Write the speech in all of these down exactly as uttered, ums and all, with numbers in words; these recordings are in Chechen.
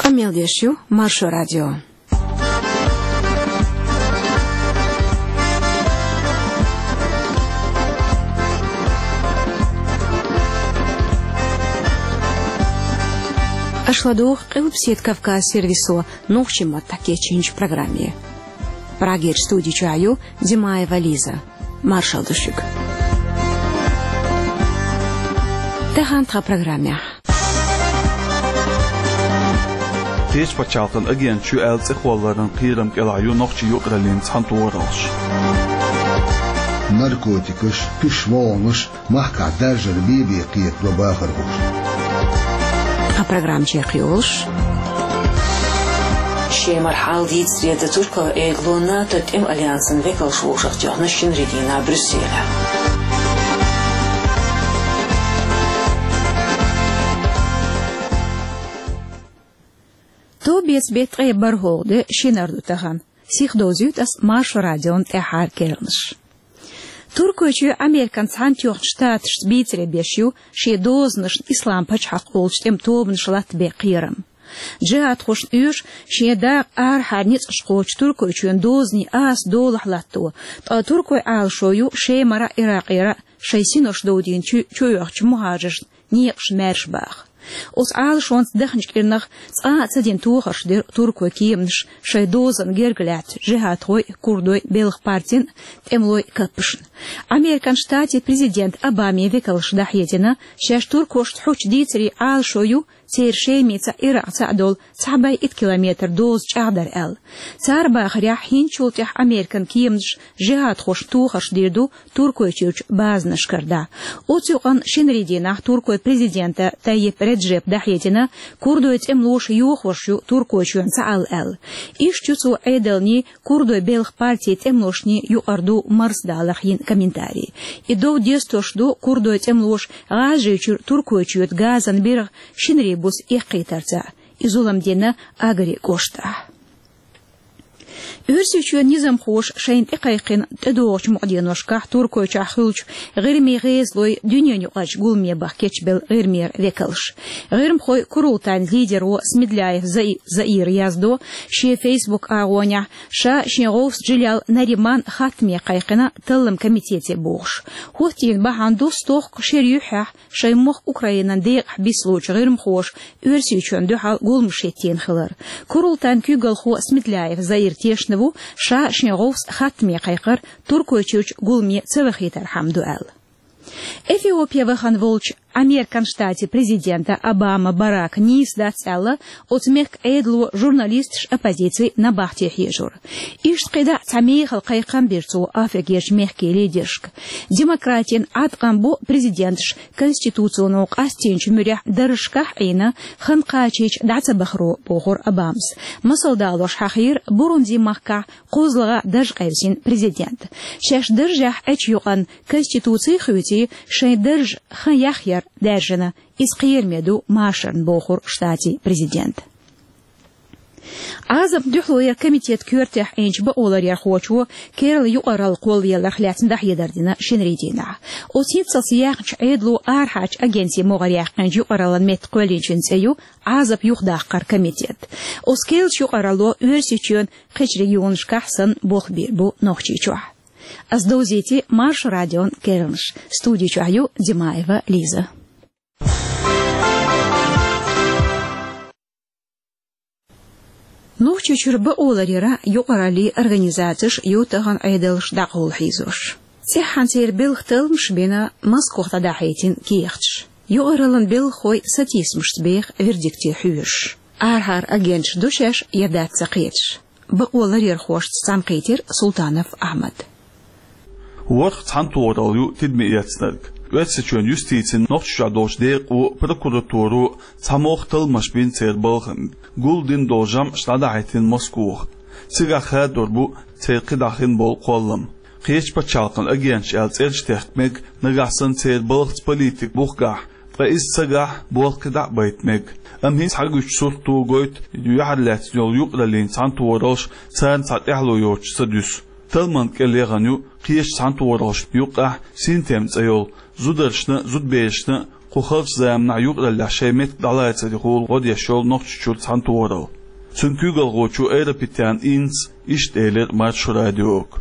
Къамел деш ю Маршо радио. Аша ладугӀу Къилбаседа Кавказ сервисо нохчийн маттахь кечйинчу программе. Прагерчу студи чохь ю Димаева Лиза. Маршалла ду шуьга. Тахана тхан программехь. Кхечу пачхьалкхан агенташ ю аьлла цӀе кхолларан кхерам кӀелахь ю нохчийн юкъараллин цхьаьнатохараллаш. Наркотикаш, кхиш вогӀанаш, махкахь даржар бен-бен кхетадо бахархоша. Тхан программа чекхйолуш. Шемара хьал дийцаре дан Туркойн Ӏедало НАТО тӀеман альянсан векалш вовшахтоьхна шинарин дийнахь Брюсселехь. Товбеца беттан ткъе бархӀалгӀа де, шинара ду тахана. Сихдовзуьйту ас Маршо радион тӀаьххьара керланаш. Туркойчуьра Американ Цхьаьнатоьхначу Штаташца бийцаре беш ю шен дозанашна Ислам пачхьалкх олучу тӀеман тобанаш латтабен кхерам. Джихадхошна оьшу шен дакъа арахьара ницкъаш кхочу Туркойчоьнан дозанийн аса долахь латто, ткъа туркойн Ӏалашо ю Шемара а, Иракъера а шайн синош довдийна чу-, чуоьхучу мухӀажаршна некъаш маьрша баха. Оцу Ӏалашонца даханчу кӀирнах цкъа а ца дина тохарш дира туркойн кеманаша шайн дозанна герга лаьцначу джихадхойн а, курдойн а белхан партин а, тӀемалойн а каппашна. Американ Штатийн президентан Обамин векалша дӀахьедина, шаьш туркошца хьучу дийцарийн Ӏалашо ю церан Шемица а, Иракъца а долу цхьа бӀе итт километр доза чӀагӀдар аьлла. Цара бахарехь, хӀинцачул тӀаьхьа Американ кеманаша джихадхошна тохарш дийр ду Туркойчуьрчу базанашкара дӀа. Оцу юкъанна шинарин дийнахь Туркойн президента Тайип Реджепа дӀахьедина, курдойн тӀемалоша йохош ю Туркойчоьнан цхьаалла аьлла. Иштта ю цо Ӏедалний, курдойн белхан партийн тӀемалошний юкъара ду марсадаларх йина комментарий. И дов дестош ду курдойн тӀемалоша ГӀажарийчуьра Туркойчуьра газан биргӀа шинарин буса эккхийтарца. И зулам дина Агари кӀоштахь. Оьрсийчоьнан низамхоша шайна тӀекхайкхина тӀедогӀучу мукъаденошкахь Туркойчохь хуьлучу ГӀирмийн гӀезалойн дуьненаюкъарчу гуламе баха кечбелла ГӀирмера векалш. ГӀирмахойн курултайн лидеро Смедляев Заи-, Заира яздо шен Facebook агӀонехь, ша шен гӀовс Джилял Нариман хаттаме кхайкхина талламан комитете бохуш. ХӀоттийна бахьана ду стохка шеран юьххьехь шайн мохк Украинан декъахь бисалучу гӀирмахоша Оьрсийчоьнна дуьхьал гуламаш хӀиттийна хилар. Курултайн куьйгалхо Смедляев Заир тешна ву, ша шен гӀовс хаттаме кхайкхар Туркойчуьрчу гуламе ца вахийтархьама ду аьлла. Эфиопе вахана волчу Американ Штатийн президента Обама Барака нийса дац аьлла, оцу мехкан Ӏедало журналисташ, оппозици набахте хьежор. Иштта кхидӀа а цхьа мехала кхайкхам бира цо Африкерчу мехкийн лидершка. Демократийн Ӏаткъам бу президенташа конституцино къастийначу муьрехь даржашкахь а Ӏийна, хан кхачийча дӀа ца бахаро, бохура Обамас. Масал далош хьахийра Бурунди-махкахь кхозлагӀа дарж къевсина президент. Шаьш даржехь Ӏечу юкъанна конституци хуьйций, шайн дарж хан яхъяр даьржина, иза кхераме ду машарна, бохура штатийн президента. Ӏазапна дуьхьалонера комитетан коьртехь Ӏийначу бакъоларъярхочо керла юкъаралла кхоллаяларх лаьцна дӀахьедар дина шинарин дийнахь. Оцу хӀинццалц яьхначу Ӏедало арахьарчу агентийн могӀарехь кхиъначу юкъараллин метта кхоьллинчун цӀе ю Ӏазап юхадаккхар комитет. Оцу керлачу юкъаралло Оьрсийчоьнан кхечу регионашкахь санна болх бийр бу Нохчийчохь. Ас довзийтира Маршо радион керланаш. Студи чохь ю Димаева Лиза. Нохчийчуьра бакъоларъяран юкъараллин организацеш ю тахана Ӏедалша дӀакъовла хьийзош. ЦӀеххьана церан белхан талламаш бина Москох дӀадахьийтина кехаташ. Юкъараллин белхахой сатийсамашца беха вердикте хьоьжуш. Арахьара агенташ ду шаьш я дац ца кхеташ. Бакъоларъярхошца цхьаьнакхийтира Султанов Ахьмад. ВорхӀ цхьаьнатохаралла ю тидаме эцнарг. Оьрсийчоьнан юстицин, Нохчийчохь долчу декъо, прокуратуро цхьа могӀа талламаш бина церан балхана. Гулдина долу жамӀаш дӀадахьийтина Москоха. Цигахь хадор бу церан кхидӀа хин болу кхоллам. Кхечу пачхьалкхан агенташ аьлла цӀераш тахка мега, нагахь санна церан балхаца политика бухахь, ткъа иза ца гахь, болх кхидӀа а байта мега. Амма хӀинца схьагуьйцучу сурто гойту юьхьарлаьцна йолу юкъараллин цхьаьнатохараллаш царна цхьа тӀаьхьало йоцуш ца дуьсу. Талламан кӀел яхана ю кхечу цхьаьнатохараллашна юккъехь Синтем цӀе йолу, зударшна а, зудаберашна а Кху харчу заманахь юкъараллехь шайн меттиг дӀалацарехула гӀо деш йолу Нохчийчуьра цхьаьнатохаралла. Цуьнан куьйгалхочо Айрапетян Иннас иштта элира Маршо радиога.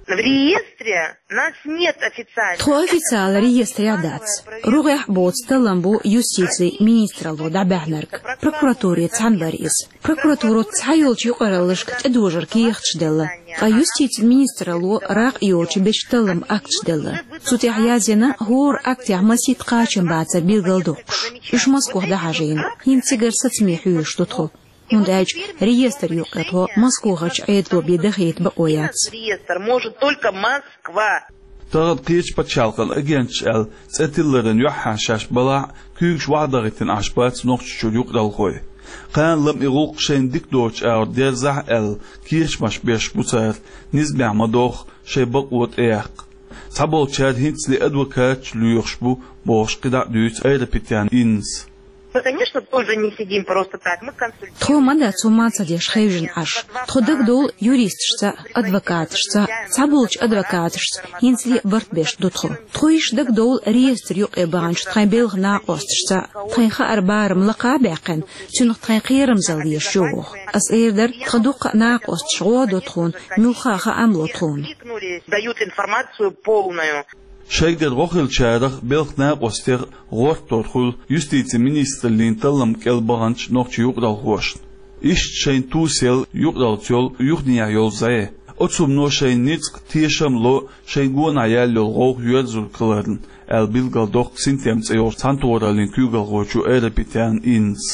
В реестре нас нет официально. Тхо официалан реестрехь дац. РогӀехь боцу таллам бу юстицин министралло дӀабаьхьнарг. Прокуратуре цхьаьна бара иза. Прокуратуро цхьайолчу юкъараллашка тӀедожаран кехаташ делла, ткъа юстицин министралло ракъа йоцуш бечу талламан акташ делла. Цу тӀехь язйина, хӀора актехь масийтта кхачам бацар билгалдоккхуш. Уьш Москох дӀахьажийна. ХӀинца цигара сацаме хьоьжуш ду тхо. ХӀунда аьлча реестран юкъе тхо Москохарчу Ӏедало бен дахийта бакъо яц. Реестр может только Москва. Тахана кхечу пачхьалкхан агенташ аьлла цӀе тилларан юьххьехь шаьш балахь а, куьйгаш охьадахийтина Ӏаш бац Нохчийчуьра юкъаралхой. Кхана-лама и гӀуллакх шайна дика доцучу агӀор дерзахь а аьлла, кечамаш беш бу цара, низамехь ма-доггӀу, шайн бакъо тӀеяккха. Цхьаболчара хӀинцале адвокаташ лоьхуш бу, бохуш, кхидӀа а дуьйцу Айрапетян Иннас. Мы, конечно, тоже не сидим просто так. Мы консультируемся. Тхо ма дац хӀумма а ца деш хевшина Ӏаш. Тхо дагадовлу юристашца а, адвокаташца а. Цхьаболчу адвокаташца хӀинцале а барт беш ду тхо. Тхо иштта дагадовлу реестран юкъе баханчу тхайн белхан накъосташца а. Тхайн хааран барам лакха а баьккхина, цуьнах тхайн кхерамзалла езаш ю оха. Ас эр дара, тхан дуккха а накъосташ гӀо а до тхуна, муьлхха а хаам ло тхуна. Дают информацию полную. Шайгара гӀо хиллачарах, белхан накъостех гӀортор хуьлу юстицин министраллин таллам кӀел баханчу нохчийн юкъаралхошна. Иштта шайна тусаелла юкъараллица йолу юханехьа йолу зӀе. Оцу хӀумано шайна ницкъ, тешам а ло шайн гонахь яьлла йолу гӀовгӀа йоьрзург хиларна, аьлла билгалдоккху «Синтем» цӀе йолчу цхьаьнатохараллин куьйгалхочо Айрапетян Иннас.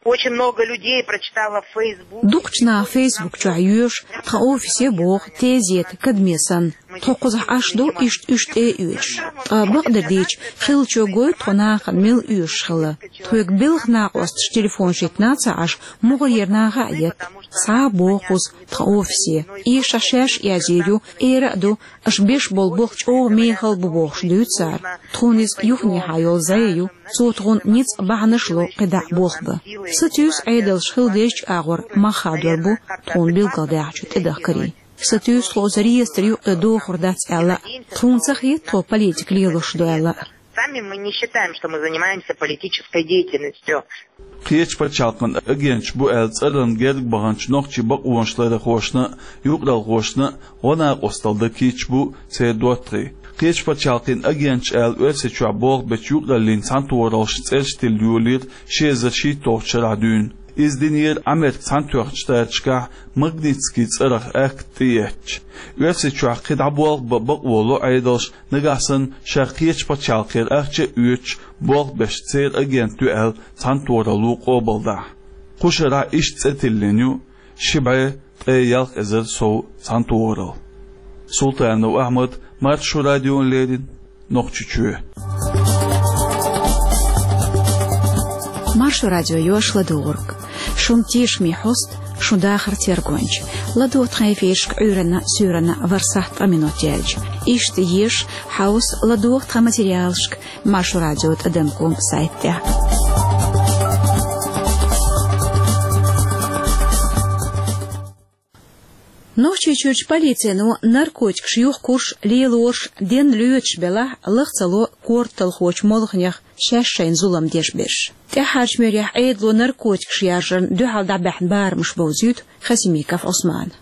Очень много людей прочитало в Facebook. Дукхачу наха Facebook чохь йоьшу тхан офисе боху, тезета, кадаме санна. Тхо кхузахь Ӏаш ду иштта уьш тӀе а оьцуш. Ткъа бакъдерг дийцича, хиллачо гойту тхо нахана мила оьшуш хилла. Тхоьга белхан накъосташа телефонаш йитина а ца Ӏаш, мухӀарера наха а етта. Схьа а боху кхуза тхан офисе. Эшахь шаьш а язйийр ю, эр а ду, аша беш болу болх чӀогӀа мехала бу бохуш дуьйцу цара. Тхуна иза юханехьа йолу зӀе ю. Цо тхуна ницкъ, бахьанаш а ло кхидӀа а болх бан. Сатуьйсу, Ӏедалша хила дезачу агӀор мах хадор бу тхуна билгалдаьхначу тӀедахкарийн. Сатуьйсу, тхо оцу реестран юкъе дохур дац аьлла а. Тхуна ца хета тхо политика лелош ду аьлла а. Сами мы не считаем, что мы занимаемся политической деятельностью. Кхечу пачхьалкхан агенташ бу аьлла цӀарна герга баханчу нохчийн бакъонаш ларъярхошна а, юкъаралхошна а гӀо-накъосталла дан кийча бу церан доттагӀий. Кхечу пачхьалкхийн агенташ аьлла Оьрсийчохь болх бечу юкъараллин цхьаьнатохараллашна цӀераш тилла йолийра ши эзар шийтталгӀачу шарахь дуьйна. Иза динера Ӏамеркан Цхьаьнатоьхначу Штаташкахь Магнитскийн цӀарах акт тӀеэцча. Оьрсийчохь кхин дӀа болх бан бакъо ло Ӏедалшна, нагахь санна шаьш кхечу пачхьалкхера ахча а оьцуш, болх беш церан агент ю аьлла цхьаьнатохаралло къобалдахь. Кху шарахь иштта цӀе тиллина ю ши бӀе ткъе ялх эзар сов цхьаьнатохаралла. Султанов Ахьмад, Маршо радиона леррина, Нохчийчоь. Маршо радио йош ладугӀург. Шун тешаме хьоста, шун дахар тергонча. ЛадогӀа тхан эфирашка Ӏуьйранна, суьйранна ворхӀ сахьт ткъа минот яьлча. Иштта еша, хьовса, ладогӀа тхан материалашка Маршо радио тӀадам ком сайта тӀехь. Нохчийчуьрчу полицино наркотикаш юхакхуьйсуш, лелош, денна лоьцуш белахь, лаха ца ло корталхочу молханех шаьш шайна зулам деш берш. ТӀаьххьарчу муьрехь Ӏедало наркотикаш яржарна дуьхьал дӀабаьхьна барамаш бовзуьйту Хасимиков Ӏусмана.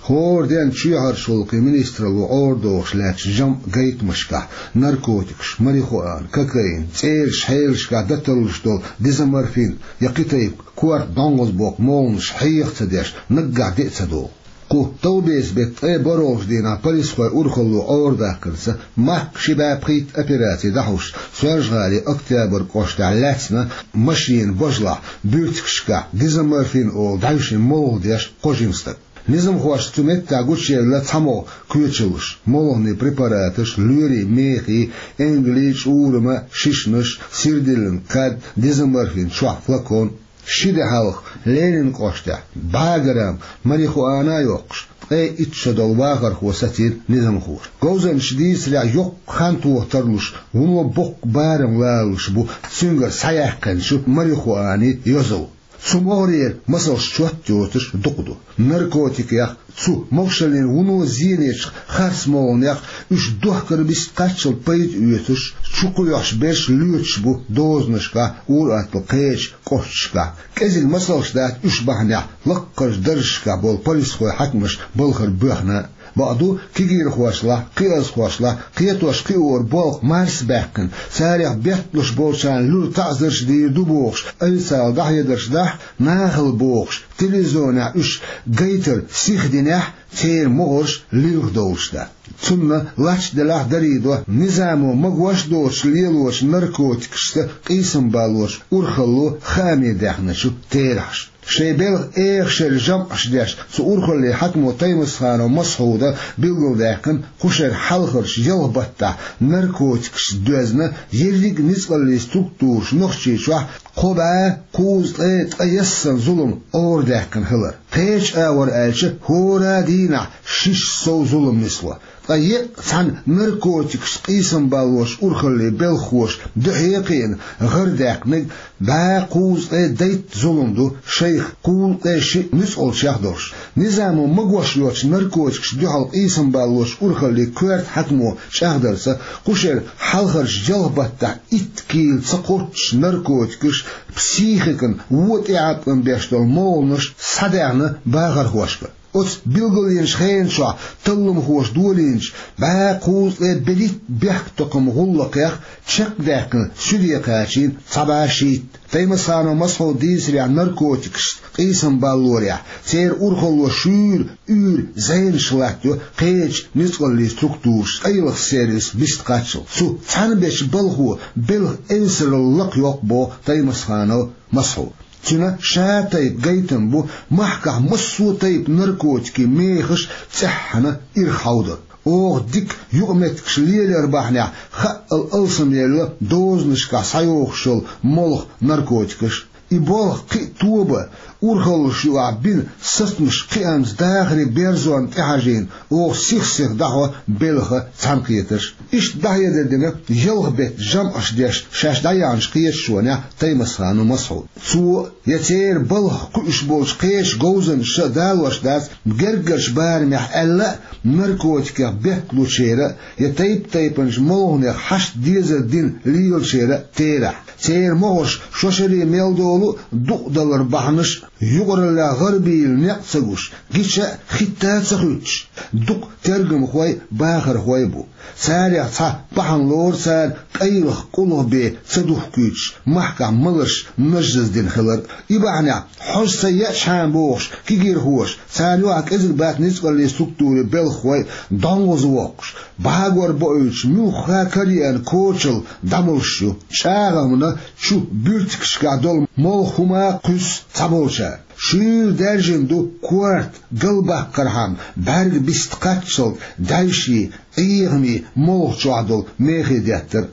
ХӀора денна чоьхьарчу гӀуллакхийн министралло Ӏорадохуш лаьттачу жамӀ гайтамашкахь наркотикаш, марихуана, кокаин, цӀераш, хьелашкахь дӀаталлуш долу дезоморфин я кхин тайпа корта дӀонгӀазбоккху молханаш хьеха ца деш, наггахь де а ца догӀу. Кху товбеца беттан ткъе бархӀолгӀачу дийнахь полисхойн урхалло Ӏорадахкарца, махках ши бӀе пхийтта операци дӀахьуш, Соьлжа-ГӀалин Октябрь кӀоштахь лаьцна машенан бажалахь буьртигашкахь дезоморфин олу дӀаьвшина молха деш кхо жима стаг. Низамхошна цу меттехь гучуевлла цхьа могӀа кочаллаш, молханийн препараташ, лоьрийн мехий, энгелий, чӀурама, шишанаш, сирдиллина кад, дезоморфин чохь флакон. Ши де хьалха Ленин кӀоштехь бӀе грамм марихуана а йоккхуш, ткъе итт шо долу вахархо сацийра низамхоша. Говзанчаша дийцарехь, йоккха хан тоха тарлуш, вуно боккха барам лоруш бу цуьнгара схьаяьккхинчу марихуанин йозал. Цу могӀарера масалш чот йоцуш дукха ду. Наркотикех, цу могашаллин вуно зенечех, харц молханех, уьш дохкар бист кхаччалц пайда оьцуш, чу кхоьхьуш берш лоьцуш бу дозанашкахь, ур-аттал кхечу кӀошташкахь. КӀезиг масалш дац уьш бахьанехь лаккхарчу даржашкахь болу полисхой, хьаькамаш балхара боьхна. Бакъду, кегийрхошлахь, кхиазхошлахь кхетош-кхиоран болх марсабаьккхина, царех бетталуш болчарна луьра таӀзарш дийр ду бохуш, официалан дӀахьедарш дахь, нахала бохуш, телевизионехь уьш гайтар сихдинехь, церан могӀарш лилха довлуш дац. Цунна лач делахь дарийдо, низамо магош а доцуш лелочу наркотикашца къийсам балош урхалло хааме даьхначу терахьаш. Шайн белхан эха шеран жамӀаш деш, цу урхаллин хьаькамо Таймасханов Масхьуда билгалдаьккхина, кху шеран хьалхарчу ялх баттахь наркотикашца доьзна ерриг а ницкъаллийн структураш Нохчийчохь кхо бӀе кхузткъе ткъаесна зулам Ӏорадаьккхина хилар. Кхечу агӀор аьлча, хӀора дийнахь шишша сов зулам нисло. Ткъа еа цхьана наркотикашца къийсам балош урхаллин белхахоша дуьхье а кхиъна, гӀардаьккхинарг бӀе кхузткъе дейтта зулам ду, шайх кхузткъе шиъ нуьцкъалчех долуш. Низамо магош йоцу наркотикашна дуьхьал къийсам балош урхаллин коьрта хьаькамо чӀагӀдарца, кху шеран хьалхарчу ялх баттахь итт кийла ца кхоччуш наркотикаш психикан вон тӀеӀаткъам беш долу молханаш схьадаьхна бахархошка. Оцу билгалйинчу хенан чохь талламхоша долийначу бӀе кхузткъе берхӀитта бехктакхаман гӀуллакхех чекхдаьккхина суьде кхачийна цхьа бӀе шийтта. Таймасханов Масхьуда дийцарехь, наркотикашца къийсам баллорехь, церан урхалло шуьйра уьйр зенаш латтайо кхечу ницкъаллийн структурашца, къайлаха сервисца бист кхаччалц. Цу цхьаьна бечу балхо белхан эвсаралла лакхайоккху боху Таймасханов Масхьуда. Цуьнан ша тайпа гайтам бу махкахь массо а тайпа наркотикийн мехаш цӀеххьана ирахьовдар. Оха дика юкъаметтигаш лелар бахьанехь, хаъал алсамъелла дозанашкахь схьайохуш йолу молха, наркотикаш. И болх кхин а тоба, урхаллаш юкъахь бина сацамаш кхиамца дахаре берзонна тӀехьажийна, оха сих-сиха дӀахьо белхан цхьаьнакхетарш. Иштта дӀахьедар дина ялх беттан жамӀаш деш шаьш дӀаяьхьначу кхеташонехь Таймасханов Масхьуда. Цо я церан балхах кхуьуш болчу кхечу говзанчаша а далош дац, гергарчу барамехь аьлла а, наркотикех бетталучеран а, я тайп-тайпанчу молханех хьашт дезар дина лелочеран а терахь. Церан могӀарш шо шаре мел долу а дукъадалар бахьанаш а, юкъараллехь гӀарабийла некъ ца гуш, гича а хӀитта а ца хуьттуш, дукха тергамхой, бахархой бу. Царех цхьа бахьана лору цара къайлаха, къулгӀа бен ца духкуьйтуш, махкахь маларш нажжаздина хилар. И бахьанехь, хьожа ца еачхьана бохуш, кегийрхоша, царна юкъахь кӀезиг бац ницкъаллийн структурийн белхахой, дӀонгӀаза воккхуш, бӀагор боуьйтуш, муьлхха а караеана кочалла дӀамолуш ю. ЧӀагӀамна чу буьртигашкахь долу молха хӀума а кхуьссу цхьаболчара. Шуьйра даьржина ду корта галбаккхархьама бӀаьрг бист кхаччалц дӀаьвший, Ӏехамий молха чохь долу мехе деттар.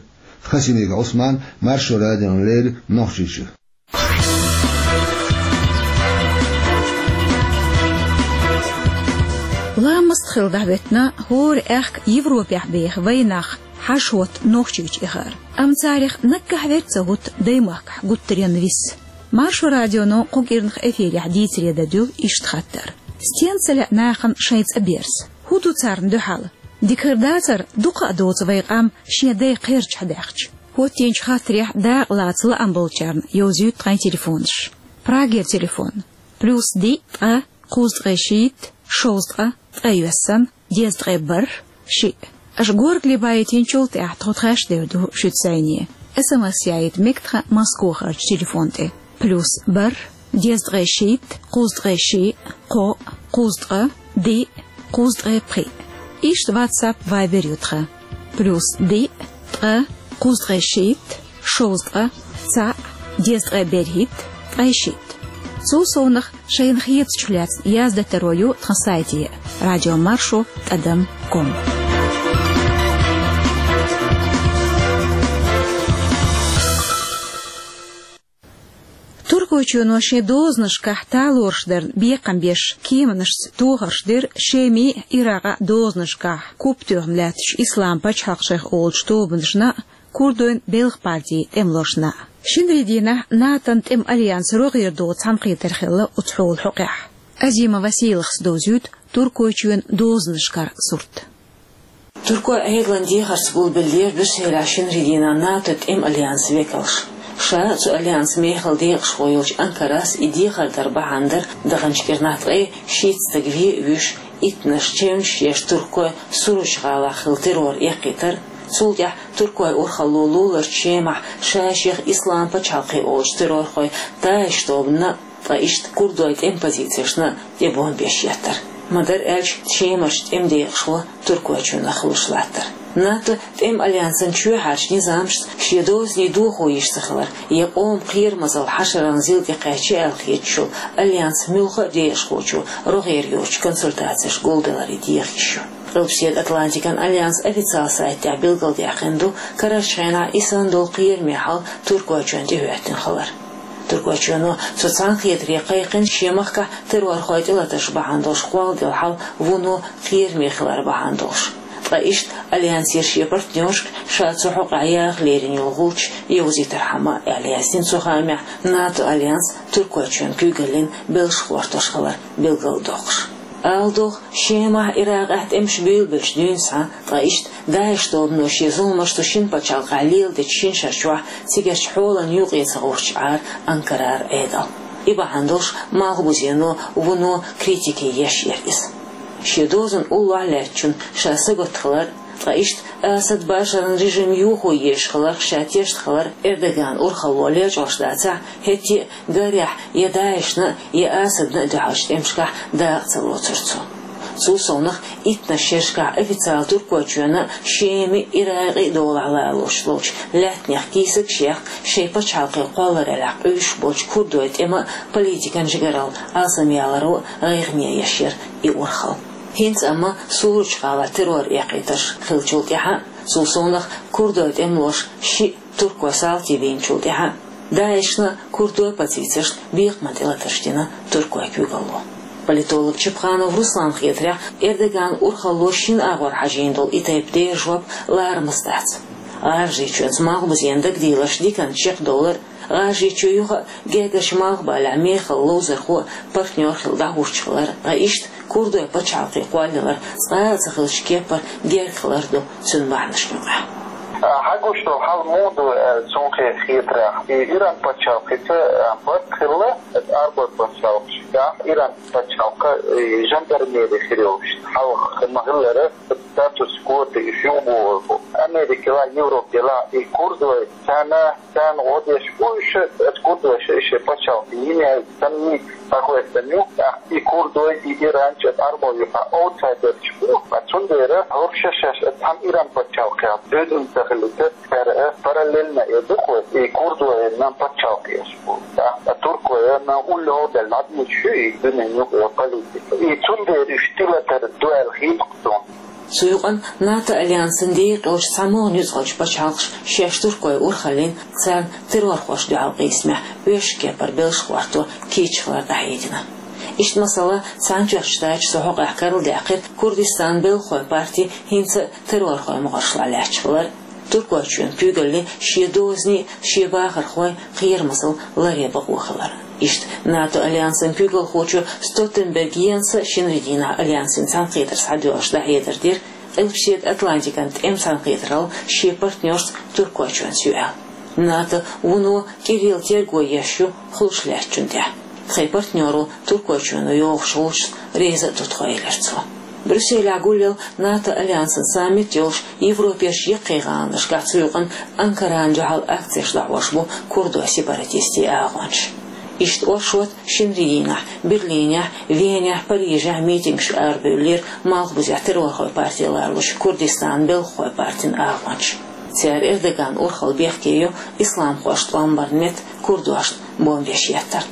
Хасимиков Ӏусман, Маршо радиона леррина, Нохчийчуьра. Ламаст хилла дӀахӀоьттина хӀора аьхка Европехь беха вайнах хьажа-хӀотта Нохчийчу эхар. Амма царах наггахь верг ца хӀутту даймахкахь гуттаренна вис. Маршо радионо кху кӀирнах эфирехь дийцаре дӀадуьллу иштта хаттар: стенна ца лаьа нахана шайн цӀа берза? ХӀун ду царна дуьхьал? Дика хир дацара, дукха а доцу вай къам шен дай кхерчахь даьхча. ХӀоттийначу хаттарехь дакъа лаца лаам болчарна йовзуьйту тхайн телефонаш. Прагера телефон: плюс диъ, ткъа, кхузткъе шийтта, шовзткъа, ткъе йоьссана, дезткъе бархӀ, шиъ. Аша горгали байтинчул тӀаьхьа тхо тхаьш дер ду шуьца зӀене. СМС яийта мега тхан Москохарчу телефон тӀе: плюс бархӀ, дезткъе шийтта, кхузткъе шиъ, кхоъ, кхузткъа, диъ, кхузткъе пхиъ. Иштта WhatsApp, Viber ю тхан: плюс диъ, ткъа, кхузткъе шийтта, шовзткъа, цхьаъ, дезткъе берхӀитта, ткъе шийтта. Цул совнаха шайна хетачух лаьцна яздатаро ю тхан сайте: радиомаршо тӀадам ком. Туркойчоьно шен дозанашкахь талораш дарна бекхам беш кеманашца тохарш дира Шемий а, Иракъа а дозанашкахь куп тоьхна лаьттачу Ислам пачхьалкх шайх олучу тобанашна а, курдойн белхан партин тӀемалошна а. Шинарин дийнахь НАТО-н тӀеман альянс рогӀера догӀу цхьаьнакхетар хилла оцу хьолан хьокъехь. Азимова Василахас довзуьйту Туркойчоьнан дозанашкара сурт. Туркойн Ӏедалан дехарца гулбеллера Брюсселехь шинарин дийнахь НАТО тӀеман альянсан векалш. Ша цу альянсан мехала декъашхо йолчу Анкарас и дехар дар бахьана дара даханчу кӀирнахь ткъе шийтта стаг вен а вуьйш, иттаннаш чевнаш еш Туркойн Суручу гӀалахь хилла террор эккхийтар, цул тӀаьхьа Туркойн урхалло луларчу Шемахь ша-шех Ислам пачхьалкх олучу террорхойн ДАИШ тобанна, ткъа иштта курдойн тӀеман позицешна тӀе бомбеш еттар. Ма-дарра аьлча, Шемарчу тӀеман декъашхо Туркойчоьнах хуьлуш латтар. НАТО тӀеман альянсан чоьхьарчу низамашца шен дозанийн дохо йиш ца хилар, я къоман кхерамазалла хьашараллин зил тӀе кхаьчна аьлла хеташ йолу альянсан муьлхха а декъашхочо рогӀера йоцучу консультацешка гулдаларе деха йиш ю. Къилбаседа Атлантикан альянсан официалан сайта тӀехь билгалдаьккхина ду карарчу хенахь и санна долу кхераме хьал Туркойчоьнна тӀехӀоьттина хилар. Туркойчоьно цу цхьаьнакхетаре кхайкхина шен махкахь террорхойн тӀелатарш бахьана долуш кхолладелла хьал вуно кхераме хилар бахьана долуш. Ткъа иштта альянсера шен партнершка ша цу хьокъехь яха лерина йолу гӀулч йовзийтархьама, аьлла яздина цу хаамехь, НАТО альянс Туркойчоьнан куьйгаллин белш хӀоттош хилар билгалдоккхуш. Ала догӀу, Шемахь, Иракъехь тӀемаш буьйлабелчу дуьйна схьа, ткъа иштта ДАИШ тобано шен зуламаш цу шина пачхьалкхехь леладечу шина шарчохь цигарчу хьолан юкъе ца гӀуттуш Ӏара Анкарара Ӏедал. И бахьана долуш Малхбузено вуно критике еш яра иза. Шен дозанна уллохь лаьттачунна ша сагатта хилар, ткъа иштта Асад Башаран режим юхо езаш хиларх ша тешна хилар Эрдоганан урхалло лечкъош дацахь, хӀетте а гарехь я ДАИШна, я Асадна а дуьхьалчу тӀемашкахь дакъа ца лоцура цо. Цул совнах, иттаннаш шерашкахь официалан Туркойчоьнан а, Шеман а, Иракъан а долахь лалош долчу лаьттанех кийсакаш яьккха, шайн пачхьалкхе кхоллараллехь къуьйсуш болчу курдойн тӀеман а, политикан жигаралла алсамъяларо а гӀайгӀане еш яра и урхалла. ХӀинца амма Суручу гӀалахь террор эккхийтарш хиллачул тӀаьхьа, цул совнах, курдойн тӀемалоша шиъ туркойн салти бийначул тӀаьхьа, ДАИШна, курдойн позицешна бекхаман тӀелатарш дина туркойн куьйгалло. Политолог Чапханов Русланна хетарехь, Эрдоганан урхалло шина агӀор хьажийна долу и тайпа дера жоп ларамаза дац. ГӀажарийчоьнца Малхбузен дагадийларш диканца чекхдовлар, ГӀажарийчоь юха а гергарчу Малхбалехь мехала ловзархо а, партнер а хилла дӀахӀуттуш хилар, ткъа иштта курдойн пачхьалкхе кхоллаялар цкъа а ца хиллачу кепара герга хилар ду цуьнан бахьанашна юкъахь. Хьан гуш долу хьал муха ду аьлла, цунна хетарехь, и Иран пачхьалкхица барт хилла, Ӏарбойн пачхьалкхашкахь Иран пачхьалкх и жандармери хир йолуш, хьалха ма-хиллара, статус-кво тӀе уьш юхабохур бу. Америка елахь, Европа елахь, и курдой царна, царна гӀо деш бу уьш, оцу курдойша и шайн пачхьалкх йина яьлла санна, схьахоьттина ю. ТӀаккха и курдой, и Иран чӀогӀа Ӏарбойн юкъахь аутсайдерш бу, ткъа цундела хӀорш шаьш цхьана Иран пачхьалкхехь дуьззина ца хилийта, цара параллельно эр ду-кх вай, и курдойн пачхьалкхаш бу. ТӀаккха туркойн уллохь а даьлла дӀадийцуш ю и дуьненан юкъара политика. И цундела уьш тӀелатар ду аьлла хета-кх суна. Цу юкъана НАТО альянсан декъалчу цхьамогӀа нуьцкъалчу пачхьалкхаша шаьш туркойн урхаллин, царна террорхошна дуьхьал къийсамехь оьшучу кепара белш хӀотто кийча хилар дӀахьедина. Иштта, масала, Цхьаьнатоьхначу Штаташа цу хьокъехь карладаьккхира Курдистанан белхахойн парти хӀинца а террорхойн мухӀаршлахь лаьтташ хилар, Туркойчоьнан куьйгаллин шен дозанийн, шен бахархойн кхерамазалла ларъян бакъо хилар. Иштта, НАТО альянсан куьйгалхочо Столтенберг Йенса шинарин дийнахь альянсан цхьаьнакхетар схьадоьллуш дӀахьедар дира, Къилбаседа Атлантикан тӀеман цхьаьнакхетаралла шен партнерца Туркойчоьнца ю аьлла. НАТО вуно кӀирилла терго еш ю хулаш лаьттачунна тӀехь. Тхайн партнеро Туркойчоьно йохуш гӀулчашца реза а ду тхо, элира цо. Брюсселехь гулъелла НАТО альянсан саммит йолуш Европерчу яккхий гӀаланашкахь, цу юкъана Анкарана дуьхьал акцеш дӀахьош бу курдойн сепаратистийн агӀончаш. Иштта оршот шинарин дийнахь Берлинехь, Венехь, Парижехь митингаш арабевллера Малхбузехь террорхойн парти лоруш Курдистанан белхахойн партин агӀончаш. Цара Эрдоганан урхалла бехке йо исламхошна тӀом барна метта курдошна бомбеш еттар.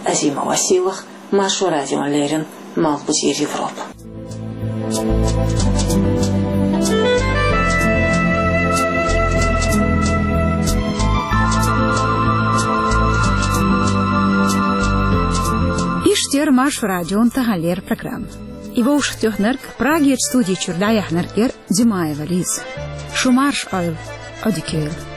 Азимова Василах, Маршо радиона леррина, Малхбузера Европа. Иштта яра Маршо радион таханлера программа. И вовшахтоьхнарг, Прагерчу студи чуьра дӀаяьхьнарг яра Димаева Лиза. Шу марша Ӏойла, Ӏодика йойла.